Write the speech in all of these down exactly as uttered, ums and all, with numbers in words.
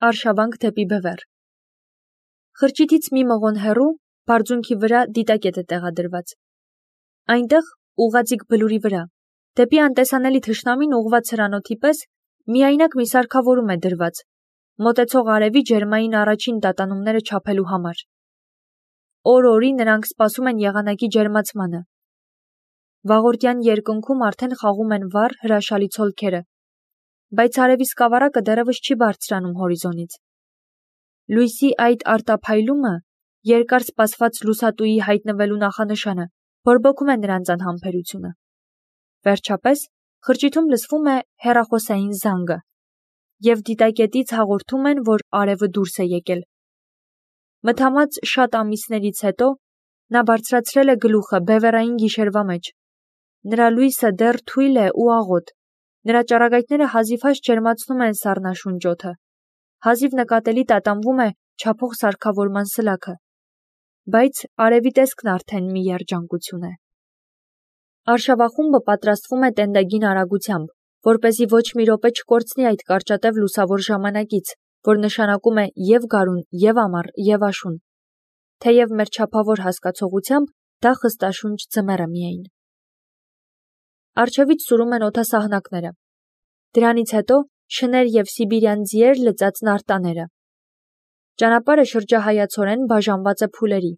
Արշավանք դեպի Բևեռ։ Խրճիթից մի մղոն հեռու բարձունքի վրա դիտակետ է տեղադրված։ Այնտեղ, ուղղաձիգ բլուրի վրա, դեպի անտեսանելի թշնամին ուղղված հրանոթի պես, միայնակ մի սարքավորում է դրված, մոտեցող արևի ջերմային առաջին տատանումները չափելու համար։ Օր-օրի նրանք սպասում են եղանակի ջերմացմանը։ Վաղորդյան երկնքում արդեն խաղում են վառ հրաշալի ցոլքերը, բայց արևի սկավառակը դեռևս չի բարձրանում հորիզոնից։ Լույսի այդ արտափայլումը երկար սպասված լուսատուի հայտնվելու նախանշանը բորբոքում է նրանց անհամբերությունը։ Վերջապես խրճիթում լսվում է հեռախոսային զանգը, և դիտակետից հաղորդում են, որ արևը դուրս է եկել։ Մթամած շատ ամիսներից հետո նա բարձրացրել է գլուխը բևեռային գիշերվա մեջ։ Նրա լույսը դեռ թույլ է ու աղոտ, նրա ճառագայթները հազիվհազ ջերմացնում են սառնաշունչ օդը, հազիվ նկատելի տատանվում է չափող սարքավորման սլաքը, բայց արևի տեսքն արդեն մի երջանկություն է։ Արշավախումբը պատրաստվում է տենդագին արագությամբ, որպեսզի ոչ մի րոպե չկորցնի այդ կարճատև լուսավոր ժամանակից, որ նշանակում է և գարուն, և ամառ, և աշուն, թեև մեր չափավոր հասկացողությամբ դա խստաշունչ ձմեռը միայն։ Առջևից սուրում են օդասահնակները, դրանից հետո շներ և սիբիրյան ձիեր լծած նարտաները։ Ճանապարհը շրջահայացորեն բաժանված է փուլերի,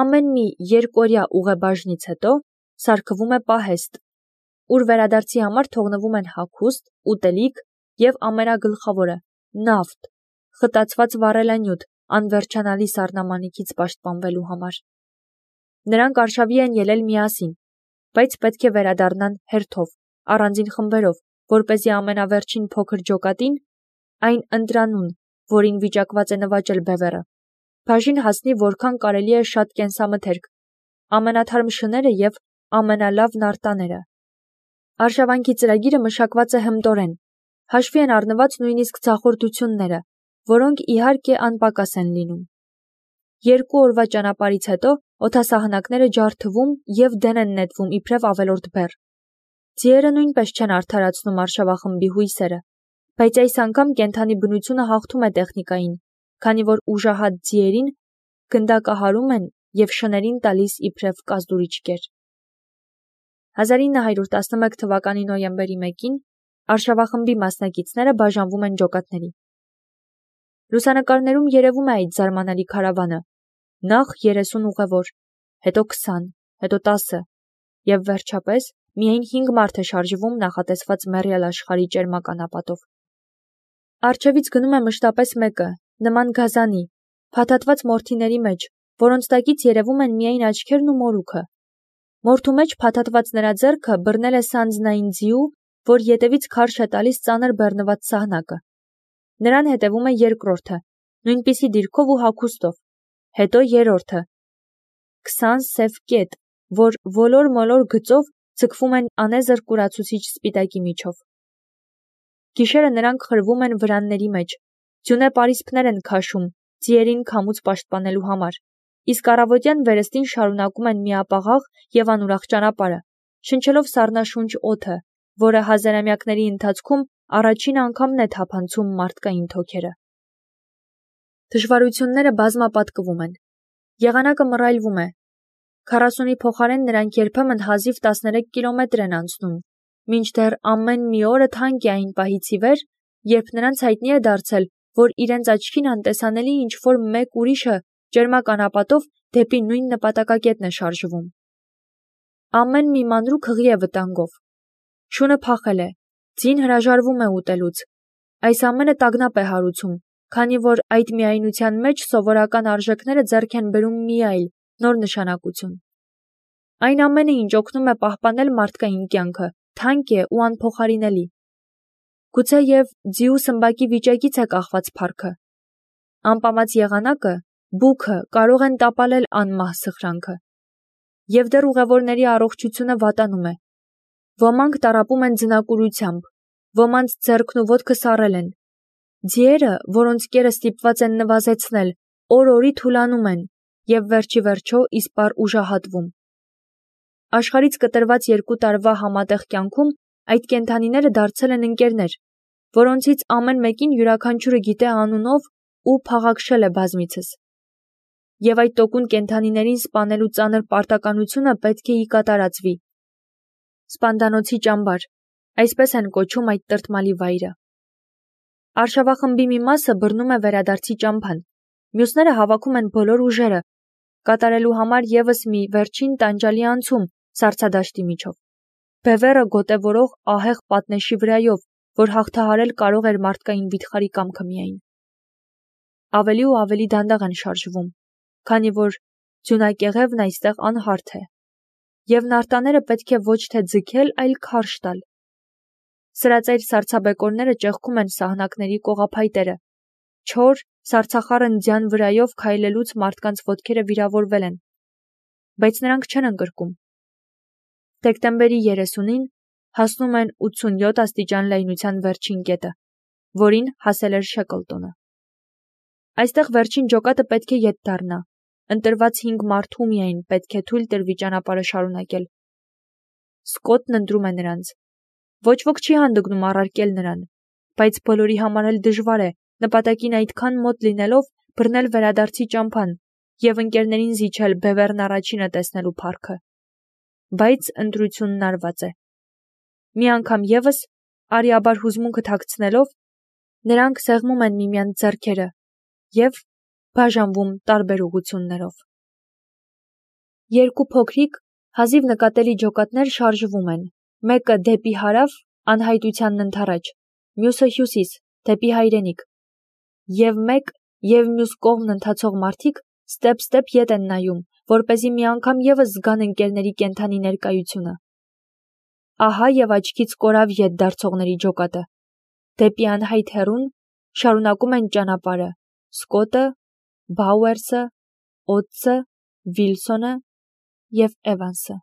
ամեն մի երկօրյա ուղեբաժնից հետո սարքվում է պահեստ, ուր վերադարձի համար թողնվում են հագուստ, ուտելիք և ամենագլխավորը՝ նավթ, խտացված վառելանյութ անվերջանալի սառնամանիքից պաշտպանվելու համար։ Նրանք արշավի են ելել միասին, բայց պետք է վերադառնան հերթով, առանձին խմբերով, որպեսզի ամենավերջին փոքր ջոկատին, այն ընտրանուն, որին վիճակված է նվաճել Բևեռը, բաժին հասնի որքան կարելի է շատ կենսամթերք, ամենաթարմ շները և ամենալավ նարտաները։ Արշավանքի ծրագիրը մշակված է հմտորեն, հաշվի են առնված նույնիսկ ձախորդությունները, որոնք իհարկե անպակաս են լինում։ Երկու օրվա ճանապարհից հետո օդասահնակները ջարդվում և դեն են նետվում իբրև ավելորդ բեռ։ Ձիերը նույնպես չեն արդարացնում արշավախմբի հույսերը, բայց այս անգամ կենդանի բնությունը հաղթում է տեխնիկային, քանի որ ուժահատ ձիերին գնդակահարում են և շներին տալիս իբրև կազդուրի չկեր։ հազար ինը հարյուր տասնմեկ թվականի նոյեմբերի մեկին արշավախմբի մասնակիցները բաժանվում են ջոկատների։ Լուսանկարներում երևում է այդ զարմանալի քարավանը, նախ երեսուն ուղևոր, հետո քսան, հետո տասը, և վերջապես միայն հինգ մարդ է շարժվում նախատեսված մեռյալ աշխարհի ճերմական ապատով։ Առջևից գնում է մշտապես մեկը, նման գազանի, փաթաթված մորթիների մեջ, որոնց տակից երևում են միայն աչքերն ու մորուքը։ Մորթու մեջ փաթաթված նրա ձեռքը բռնել է սանձնային ձիու, որ ետևից քարշ է տալիս ծանր բեռնված սահնակը։ Նրան հետևում է երկրորդը, նույնպիսի դիրքով ու հագուստով, հետո երրորդը։ Քսան սև կետ, որ ոլոր-մոլոր գծով ձգվում են անեզր կուրացուցիչ սպիտակի միջով։ Գիշերը նրանք խրվում են վրանների մեջ, ձյունե պարիսպներ են քաշում, ձիերին քամուց պաշտպանելու համար, իսկ առավոտյան վերստին շարունակում են միապաղաղ և անուրախ ճանապարհը, շնչելով սառնաշունչ օդը, որը հազարամյակների ընթացքում առաջին անգամն է թափանցում մարդկային թոքերը։ Դժվարությունները բազմապատկվում են։ Եղանակը մռայլվում է։ Քառասունի փոխարեն նրանք երբեմն հազիվ տասներեք կիլոմետր են անցնում, մինչդեռ ամեն մի օրը թանկ է այն պահից ի վեր, երբ նրանց հայտնի է դարձել, որ իրենց աչքին անտեսանելի ինչ-որ մեկ ուրիշը ճերմական ապատով դեպի նույն նպատակակետն է շարժվում։ Ամեն մի մանրուք հղի է վտանգով։ Շունը փախել է, ձին հրաժարվում է ուտելուց։ Այս ամենը տագնապ է հարուցում, քանի որ այդ միայնության մեջ սովորական արժեքները ձեռք են բերում մի այլ, նոր նշանակություն։ Այն ամենը, ինչ օգնում է պահպանել մարդկային կյանքը, թանկ է ու անփոխարինելի։ Գուցեև ձիու սմբակի վիճակից է կախված փառքը։ Անպամած եղանակը, բուքը կարող են տապալել անմահ սխրանքը։ Եվ դեռ ուղևորների առողջությունը վատանում է։ Ոմանք տառապում են ձնակուրությամբ, ոմանց ձեռքն ու ոտքը սառել են։ Ձիերը, որոնց կերը ստիպված են նվազեցնել, օր-օրի թուլանում են և վերջի վերջո իսպառ ուժահատվում։ Աշխարհից կտրված երկու տարվա համատեղ կյանքում այդ կենդանիները դարձել են ընկերներ, որոնցից ամեն մեկին յուրաքանչյուրը գիտե անունով ու փաղաքշել է բազմիցս։ Եվ այդ տոկուն կենդանիներին սպանելու ծանր պարտականությունը պետք է ի կատարածվի։ Սպանդանոցի ճամբար, այսպես են կոչում այդ տրտմալի վայրը։ Արշավախմբի մի մասը բռնում է վերադարձի ճամբան, մյուսները հավաքում են բոլոր ուժերը, կատարելու համար ևս մի վերջին տանջալի անցում սառցադաշտի միջով։ Բևեռը գոտևորող ահեղ պատնեշի վրայով, որ հաղթահարել կարող էր մարդկային վիթխարի կամքը միայն։ Ավելի ու ավելի դանդաղ են շարժվում, քանի որ ձյունակեղևն այստեղ անհարթ է, և նարտաները պետք է ոչ թե ձգել, այլ քարշ տալ։ Սրածայր սառցաբեկորները ճեղքում են սահնակների կողափայտերը, չոր, սառցախառն ձյան վրայով քայլելուց մարդկանց ոտքերը վիրավորվել են, բայց նրանք չեն ընկրկում։ Դեկտեմբերի երեսունին հասնում են ութսունյոթ աստիճան լայնության վերջին կետը, որին հասել էր Շեքլտոնը։ Այստեղ վերջին ջոկատը պետք է ետ դառնա, ընտրված հինգ մարդու միայն պետք է թույլ տրվի ճանապարհը շարունակել։ Սկոտն ընտրում է նրանց։ Ոչ ոք չի հանդգնում առարկել նրան, բայց բոլորի համար էլ դժվար է, նպատակին այդքան մոտ լինելով, բռնել վերադարձի ճամփան և ընկերներին զիջել Բևեռն առաջինը տեսնելու փառքը։ Բայց ընտրությունն արված է։ Մի անգամ ևս, արիաբար հուզմունքը թաքցնելով, նրանք սեղմում են միմյանց ձեռքերը և բաժանվում տարբեր ուղղություններով։ Երկու փոքրիկ, հազիվ նկատելի ջոկատներ շարժվում են, մեկը դեպի հարավ, անհայտությանն ընդառաջ, մյուսը հյուսիս, դեպի հայրենիք, և մեկ և մյուս կողմն ընթացող մարդիկ ստեպ-ստեպ ետ են նայում, որպեսզի մի անգամ ևս զգան ընկերների կենդանի ներկայությունը։ Ահա և աչքից կորավ ետ դարձողների ջոկատը։ Դեպի անհայտ հեռուն շարունակում են ճանապարհը Սկոտը, Բաուերսը, Օտսը, Վիլսոնը և Էվանսը։